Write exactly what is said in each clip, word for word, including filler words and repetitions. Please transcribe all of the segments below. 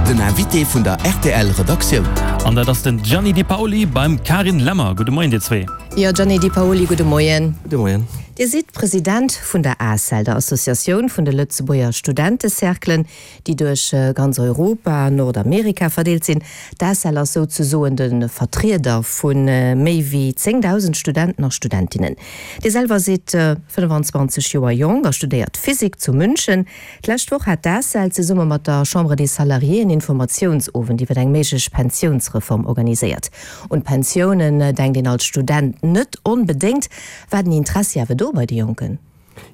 Den Invité vun der R T L Redaktioun. An dat ass den Gianni Di Paoli beim Karin Lemmer. Gudde Moien dir zwee. Jo, Gianni Di Paoli, gudde Moien. Gudde Moien. Dir sidd President vun der A S E L, der Associatioun vun de Lëtzebuerger Studentecerclen, déi duerch ganz Europa, Nordamerika verdeelt sinn. D'A S E L ass souzesoen de Vertrieder vu méi wéi zéngdausend Studenten a Studentinnen. Dir selwer sidd fënnfanzwanzeg Joer jonk a studéiert Physik zu München. D'lescht Woch hat d'A S E L zesumme mat der Chambre des Salariés en Informatiounsowend iwwer eng méiglech Pensiounsreform organiséiert. Un Pensiounen denkt een als Student net onbedéngt. War den Interessi awer do bei de Jonken?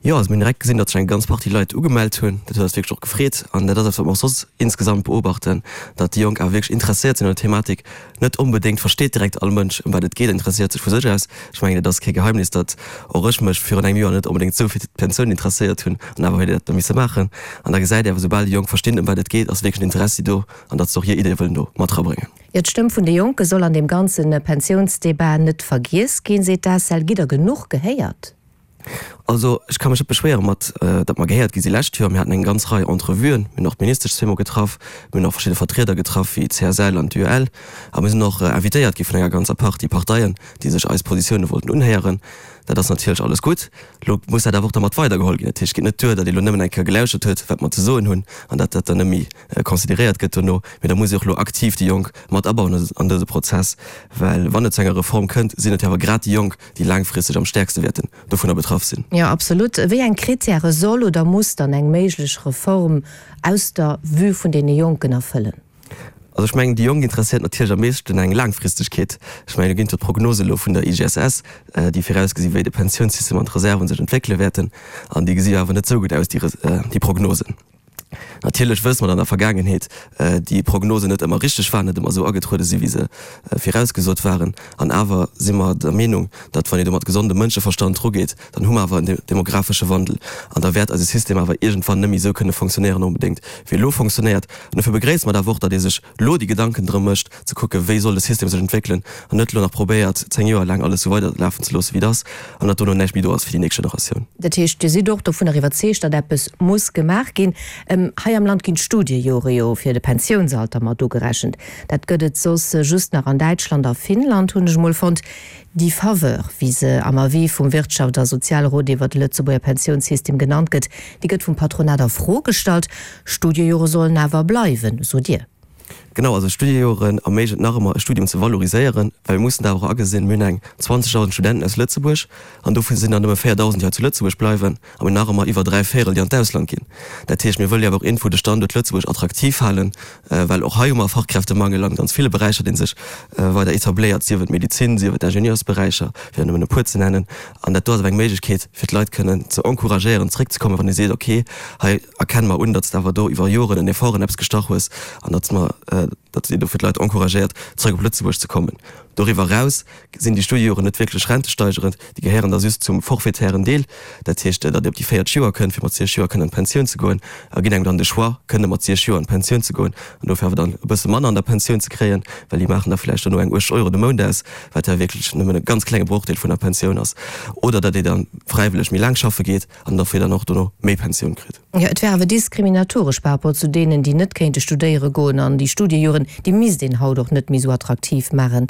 Jo, also mir hunn direkt gesinn, datt sech eng ganz Partie Leit ugemellt hunn. Dat huet eis wierklech och gefreet. An dat ass eppes, wat mer och soss insgesamt beobachten, datt déi Jonk awer wierklech interesséiert sinn un der Thematik. Net onbedéngt versteet direkt all Mënsch, ëm wat et geet, interesséiert sech vu sech aus. Ech mengen, et ass kee Geheimnis, datt och ech mech virun engem Joer net onbedéngt esou fir d'Pensioun interesséiert hunn an awer huet ee dat da misse maachen. An da gesäit ee awer, soubal déi Jonk verstinn, ëm wat et geet, ass wierklech en Interessi do an datt se och hir Ideeë wëllen do mat erabréngen. Jo, d'Stëmm vun de Jonke soll an deem ganze Pensiounsdebat net vergiess ginn, seet d'A S E L. Gitt der genuch gehéiert? Also ech ka mech net beschwéiere mat, datt mer gehéiert gi si lescht Joer. Mir haten eng ganz Rei Entrevuen, mir hunn och d'Ministesch zweemol getraff, mir hunn och verschidde Vertrieder getraff wéi d'C S L an d'U E L a mir sinn och invitéiert gi vun enger ganzer Partie Parteien, déi sech eis Positioune wollten unhéieren. Dat ass natierlech alles gutt. Elo muss dat awer och da mat weidergeholl ginn. Dat heescht, et geet net duer, datt ee elo nëmmen eng Kéier gelauschert huet, wat mer ze soen hunn, an datt dat dann net méi consideréiert gëtt dono, mee da muss ee och elo aktiv déi Jonk mat abauen an dëse Prozess, well wann et zu enger Reform kënnt, sinn et jo awer grad déi Jonk, déi laangfristeg am stäerkste wäerten dovunner betraff sinn. Jo, absolut. Wéi eng Kritäre soll oder muss dann eng méiglech Reform aus der Vue vun deene Jonken erfëllen? Also ech mengen, déi Jonk interesséiert natierlech am meeschten eng Laangfristegkeet. Ech mengen, do ginn et jo d'Prognose elo vun der I G S S, déi virausgesi wéi de Pensiounssystem an d'Reserven sech entwéckele wäerten, an déi gesi jo awer net esou gutt aus, déi déi Prognosen. Natierlech wësse mer, datt an der Vergaangenheet déi Prognosen net ëmmer richteg waren, net ëmmer esou agetruede si wéi se virausgesot waren. An awer si mer der Meenung, datt wann ee do mat gesondem Mënscheverstand drugeet, dann hu mer awer en demografesche Wandel an da wäert eise System awer iergendwann net méi esou kënne fonctionnéieren onbedéngt, wéi e lo fonctionnéiert. An dofir begréisse mer et awer och, datt ee sech lo déi Gedanken drëm mécht, ze kucken, wéi soll de System sech entwéckelen an net elo nach probéiert, zéng Joer laang alles esou weiderlafen ze loossen, wéi et ass, an datt dono näischt méi do ass fir déi nächst Generatioun. Dat heescht, Dir sidd och dovunner iwwerzeegt, datt eppes muss gemaach ginn. Hei am Land ginn d'Studiejore jo fir de Pensiounsalter mat ugerechent. Dat gëtt et soss just nach an Däitschland a Finnland, hunn ech emol fonnt. Déi Faveur, wéi se am Avis vum Wirtschaft a Sozialrot iwwer de Lëtzebuerger Pensiounssystem genannt gëtt, déi gëtt vum Patronat a Fro gestallt. Studiejore sollen awer bleiwen, sot Dir. Genau, also Studiejoren erméiglecht nach ëmmer e Studium ze valoriséieren, well mir mussen dat awer och agesinn, mir hunn eng zwanzegdausend Studenten aus Lëtzebuerg an dovun sinn der nëmme véierdausend, déi hei zu Lëtzebuerg bleiwen, a mir hunn nach ëmmer iwwer dräi Véierel, déi an d'Ausland ginn. Dat heescht, mir wëlle jo awer och iergendwou de Standuert Lëtzebuerg attraktiv halen, well och hei hu mer e Fachkräftemangel an ganz ville Beräicher, dee sech weider etabléiert, sief et d'Medezin, sief et d'Ingenieursberäicher, fir der nëmmen e puer ze nennen. An dat do ass awer eng Méiglechkeet, fir d'Leit kënnen ze encouragéieren, zréckzekommen, wann ee seet, okay, hei erkenne mer un, datt s de awer do iwwer Joren en Effort an eppes gestach hues an datt mer, datt een dofir d'Leit encouragéiert, zréck op Lëtzebuerg ze kommen. Doriwwer eraus sinn déi Studiejoren net wierklech rentesteigerend, déi gehéieren da just zum forfaitären Deel, dat heescht, datt ee op déi véierzeg Joer kënnt, fir mat siechzeg Joer kënnen an d'Pensioun ze goen, a ginn engem dann de Choix, kënne mat siechzeg Joer an d'Pensioun ze goen an dofir awer dann e bësse manner an der Pensioun ze kréien, well déi maachen da vläicht dono eng uechtzeg Euro de Mount aus, wat ja wierklech nëmmen e ganz klenge Brochdeel vun der Pensioun ass, oder datt ee da fräiwëlleg méi laang schaffe geet an dofir dann och dono méi Pensioun kritt. Jo, et wär awer diskriminatoresch par rapport zu deenen, déi net kéinte studéiere goen, an déi Studiejoren, déi misst een haut och net méi esou attraktiv maachen.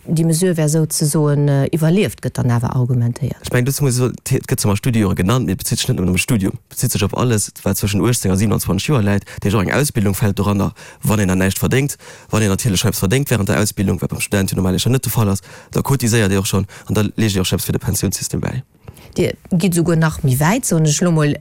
Déi Mesure wär souzesoen iwwerlieft, gëtt dann awer argumentéiert. Ech mengen, dozou muss ee soen, et gëtt zwar Studiejore genannt, mee et bezitt sech net nëmmen op e Studium, et bezitt sech op alles, wat zwëschen uechtzéng a siewenanzwanzeg Joer läit. Dat heescht, och eng Ausbildung fält doranner, wann een dann näischt verdéngt. Wann een natierlech schonn eppes verdéngt während der Ausbildung, wat beim Student jo normalerweis net de Fall ass, da cotiséiert ee och schonn an da leescht ee och schonn eppes fir de Pensiounssystem bäi. Dir gitt esouguer nach méi wäit, soen ech elo mol,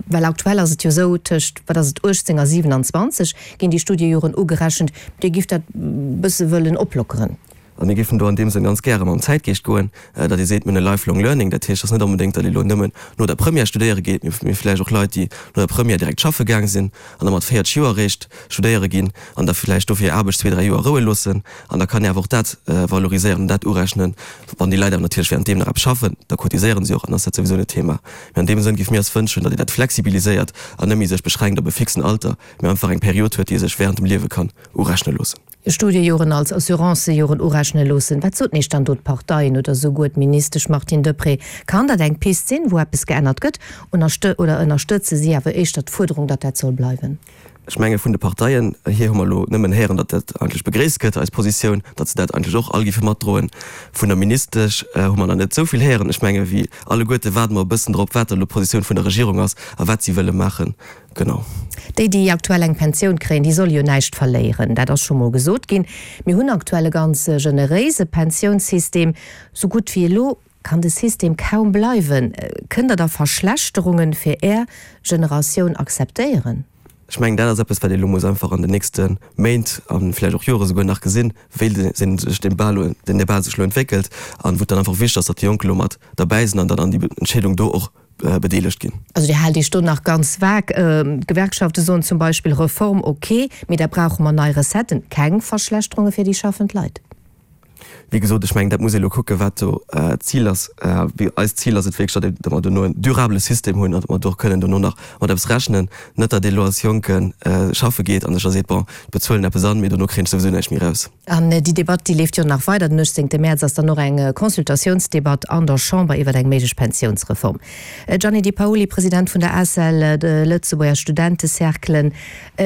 well aktuell ass et jo esou, tëscht, wat ass et, uechtzéng a siewenanzwanzeg ginn déi Studiejoren ugerechent. Dir gifft dat bësse wëllen oplockeren. A mir géifen do an deem Sënn ganz gäre mam Zäitgeescht goen, datt ee seet, mir hunn e lifelong learning. Dat heescht, et ass net onbedéngt, datt ee elo nëmmen no der Première studéiere geet, mee vläicht och Leit, déi no der Première direkt schaffe gaang sinn an da mat véierzeg Joer eréischt studéiere ginn an da vläicht dofir hir Aarbecht zwee, dräi Joer roue loossen. An da kann ee awer och dat valoriséieren an dat urechnen. Wann déi Leit awer natierlech während deem nach eppes schaffen, da cotiséiere si och an da ass dat souwisou net Thema. Mee an deem Sënn géife mir eis wënschen, datt ee dat flexibiliséiert an net méi sech beschränkt op e fixen Alter, mee einfach eng Period huet, déi ee sech während dem Liewe kann urechne loossen. Studiejoren als Assurancejoren urechne loossen. Wat soten Iech dann do d'Parteien oder souguer d'Ministesch Martine Deprez? Kann dat eng Pist sinn, wou eppes geännert gëtt, oder ënnerstëtze si awer éischter d'Fuerderung, datt dat soll bleiwen? Ech menge vun de Parteien hier hu mer elo nëmmen héieren, datt dat eigentlech begréisst gëtt, eis Positioun, datt se dat eigentlech och all géife matdroen. Vun der Ministesch hu mer nach net esou vill héieren. Ech menge wéi alleguerte waarde mer e bëssen drop, wat elo d'Positioun vun der Regierung ass a wat si wëlle maachen. Genau. Déi, déi aktuell eng Pensioun kréien, déi solle jo näischt verléieren. Dat ass scho mol gesot ginn. Mir hunn aktuell e ganz generéise Pensiounssystem. Sou gutt wéi elo kann de System kaum bleiwen. Kënnt Der da Verschlechterunge fir Är Generatioun akzeptéieren? Ech mengen, dat ass eppes, wat ee elo muss einfach an den nächste Méint a vläicht och Jore souguer nach gesinn, wéi sech deen Debat sech elo entwéckelt an wou et dann einfach wichteg ass, datt déi Jonk elo mat derbäi sinn an dann an déi Entscheedung do och bedeelegt ginn. Also Dir haalt Iech do nach ganz vag. D'Gewerkschafte soen zum Beispill, Reform ok, mee da brauche mer nei Recetten, keng Verschlechterunge fir déi schaffend Leit. Wéi gesot, ech mengen, dat muss ee elo kucken, wat do d'Zil ass. Eist Zil ass et wierklech, datt mer dono en durabele System hunn an datt mer do och kënnen dono nach mat eppes rechnen. Net datt ee elo als Jonke schaffe geet a sech da seet, bon, ech bezuelen eppes an, mee dono kréien ech souwisou näischt méi eraus. An déi Debatt, déi leeft jo nach weider. Den uechtzéngte Mäerz ass dann och eng Consultatiounsdebatt an der Chamber iwwer eng méiglech Pensiounsreform. Gianni Di Paoli, President vun der ACEL, de Lëtzebuerger Studentecerclen.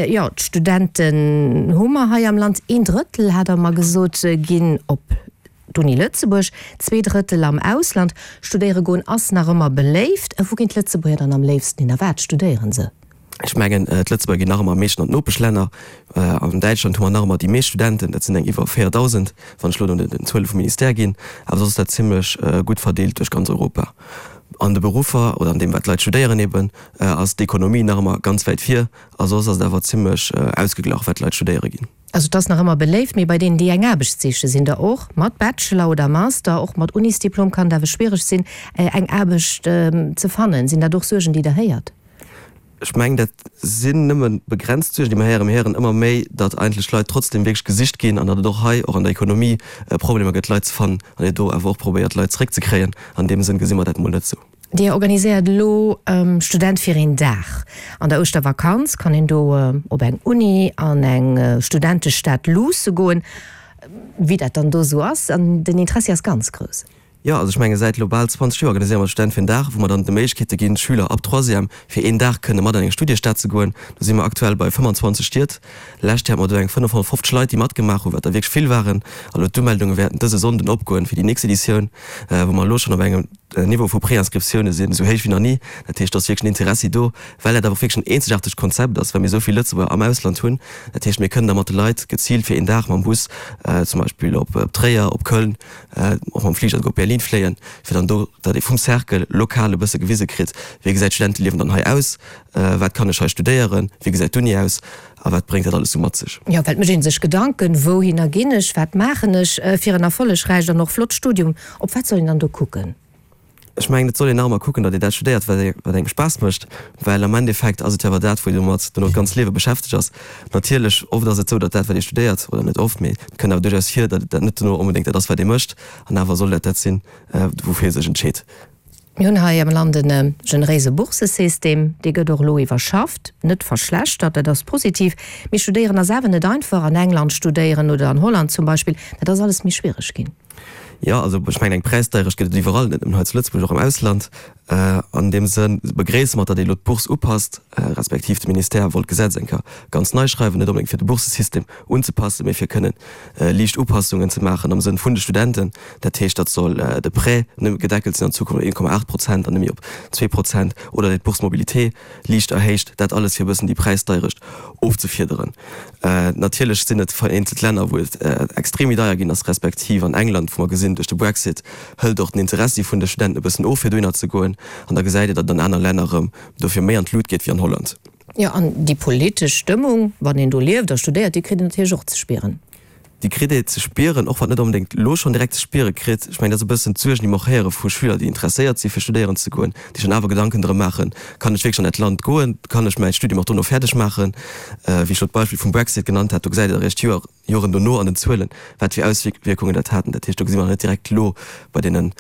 Jo, d'Studenten hu mer hei am Land. Een Drëttel, hat Der mer gesot, ginn op d'Uni Lëtzebuerg, zwee Drëttel am Ausland. Studéiere goen ass nach ëmmer beléift. Wou ginn d'Lëtzebuerger dann am léifsten hin a wat studéiere se? Ech mengen, d'Lëtzebuerger ginn nach ëmmer am meeschten an d'Nopeschlänner. An Däitschland hu mer nach ëmmer déi meescht Studenten, dat sinn eng iwwer véierdausend, wann ech elo no den Zuele vum Ministère ginn. Awer soss ass dat zimlech gutt verdeelt duerch ganz Europa. An de Beruffer oder an deem, wat d'Leit studéieren eben, ass d'Ekonomie nach ëmmer ganz wäit vir. A soss ass et awer zimlech ausgeglach, wat d'Leit studéiere ginn. Also et ass nach ëmmer beléift, mee bei deenen, déi eng Aarbecht sichen, sinn der och mat Bachelor oder Master, och mat Unisdiplom kann et awer schwiereg sinn, eng Aarbecht ze fannen. Sinn dat och Suergen, déi Der héiert? Ech mengen, dat sinn nëmme begrenzt Suergen, déi mer héieren. Mir héieren ëmmer méi, datt eigentlech d'Leit trotzdem wierklech gesicht ginn an datt et och hei, och an der Ekonomie, Problemer gëtt, Leit ze fannen an een do awer och probéiert, Leit zeréckzekréien. An deem Sënn gesi mer dat emol net esou. Dir organiséiert elo Student fir een Dag. An der Ouschtervakanz kann een do op eng Uni an eng Studentestad luusse goen, wéi dat dann do esou ass. An den Interessi ass ganz grouss. Jo, also ech menge säit elo bal zwanzeg Joer organiséiere mer Student fir en Dag, wou mer dann d'Méiglechkeete ginn, Schüler ab Troisième fir een Dag kënne mat an eng Studiestad ze goen. Do si mer aktuell bei fëmmandzwanzeg Stied. Lescht Joer hate mer do eng fënnefhonnertfofzeg Leit, déi matgemaach hunn, wat der wierklech vill waren. A lo d'Umeldunge wäerten dëse Sonnden opgoen fir déi nächst Editioun, wou mer elo schonn op engem Niveau vu Préinscriptioune sinn, esou héich wéi nach ni. Dat heescht, do ass wierklech en Interessi do, well dat awer och wierklech en eenzegaartegt Konzept ass, well mir esou vill Lëtzebuerger am Ausland hunn. Dat heescht, mir kënnen da mat de Leit geziilt fir een Dag mam Bus zum Beispill op Tréier, op Köln, och mam Fliger souguer op Berlin fléien, fir dann do, datt ee vum Cercle lokal e bësse gewise kritt, wéi gesäit d'Studenteliewen dann hei aus, wat kann ech hei studéieren, wéi gesäit d'Uni aus a wat bréngt dat alles sou mat sech. Jo, well et mécht ee sech Gedanken, wouhinner ginn ech, wat maachen ech fir en erfollegräicht an och flott Studium, op wat soll een dann do kucken? Ech mengen, et soll een nach ëmmer kucken, datt een dat studéiert, wat engem Spaass mécht, well am Endeffekt ass et jo awer dat, wou een domat dono d'ganz Liewe beschäftegt ass. Natierlech, oft ass et esou, datt dat, wat ee studéiert, oder net oft, mee et kënnt awer duerchaus vir, datt et dat net dono onbedéngt dat ass, wat ee mécht. An awer soll dat dat sinn, woufir ee sech entscheet. Mir hunn hei am Land e generéise Bourssesystem, dee gëtt och elo iwwerschafft, net verschlechtert, dat ass positiv. Mee studéieren ass awer net einfach. An England studéieren oder an Holland zum Beispill, dat ass alles méi schwiereg ginn. Jo, also ech mengen, eng Präisdeierecht gëtt et iwwerall, net nëmmen hei zu Lëtzebuerg, och am Ausland. An deem Sënn begréisse mer, datt ee elo d'Bourse upasst, respektiv de Ministère wollt d'Gesetz eng Kéier ganz nei schreiwen, net onbedéngt fir de Boursesystem unzepassen, mee fir kënnen liicht Upassungen ze maachen am Sënn vun de Studenten. Dat heescht, datt soll de Prêt nëmme gedeckelt sinn an Zukunft op een Komma aacht Prozent an net méi op zwee Prozent, oder datt d'Bourse mobilité liicht erhéicht, dat alles fir e bëssen déi Präisdeierecht ofzefiederen. Natierlech sinn et vereenzelt Länner, wou et extrem méi deier ginn ass, respektiv an England, wou mer gesinn, duerch de Brexit hëlt och den Interessi vun de Studenten e bëssen of, fir dohinner ze goen. An da gesäit een, datt et an aner Länner erëm dofir méi an d'Lut geet wéi an Holland. Jo, an déi politesch Stëmmung, wann een do lieft a studéiert, déi kritt een natierlech och ze spieren. Déi kritt ee ze spieren, och wann et net onbedéngt elo schonn direkt ze spiere kritt. Ech mengen, dat ass e bëssen d'Suergen, déi mer och héiere vu Schüler, déi interesséiert si fir studéieren ze goen, déi schonn awer Gedanken drëm maachen, Kann ech wierklech an dat Land goen? Kann ech mäi Studium och dono fäerdeg maachen? Wéi ech elo d'Beispill vum Brexit genannt hat, do gesäit et eréischt Joer Joren dono an den Zuelen, wat fir Auswierkungen dat haten. Dat heescht, do gesi mer net direkt elo bei deenen,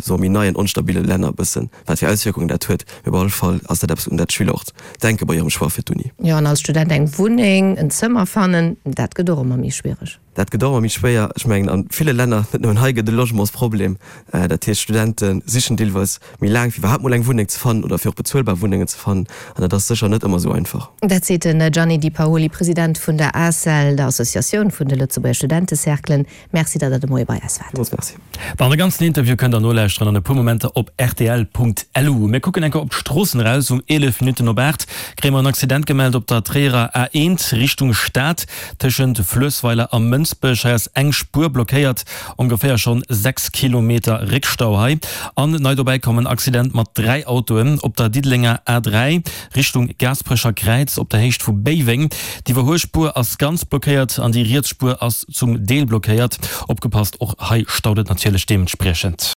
soe méi neien, onstabile Länner e bëssen, wat fir Auswierkungen dat huet. Mee op alle Fall ass dat eppes, un dat d'Schüler och denke bei hirem Choix fir d'Uni. Jo, an als Student eng Wunneng, en Zëmmer fannen, dat gëtt och ëmmer méi schwiereg. Dat gëtt och ëmmer méi schwéier. Ech mengen, a ville Länner, net nëmmen hei, gëtt e Logementsproblem. Dat heescht, Studente sichen deelweis méi laang, fir iwwerhaapt mol eng Wunneng ze fannen oder fir och bezuelbar Wunnengen ze fannen. An dat ass sécher net ëmmer esou einfach. Dat seet den Gianni Di Paoli, President vun der ACEL, der Associatioun vun de Lëtzebuerger Studentecerclen. Merci, datt Der de Moie bei eis waart. Villmools Merci. Bon, de ganzen Interview kënnt der nolauschteren an e puer Momenter op rtl.lu. Mir kucken eng Kéier op d'Stroossen eraus. Um eelef Minutten op aacht kréie mer en Accident gemellt op der Tréierer A eent Richtung Stad, tëschent Fluessweiler a Mënsbech. Hei ass eng Spuer blockéiert, ongeféier schonn sechs Kilometer Réckstau hei. An nei dobäi komm en Accident mat dräi Autoen op der Diddelenger A dräi Richtung Gaasperecher Kräiz op der Héicht vu Béiweng. D'Iwwerhuelspuer ass ganz blockéiert an déi riets Spuer ass zum Deel blockéiert. Opgepasst, och hei staut et natierlech deementspriechend.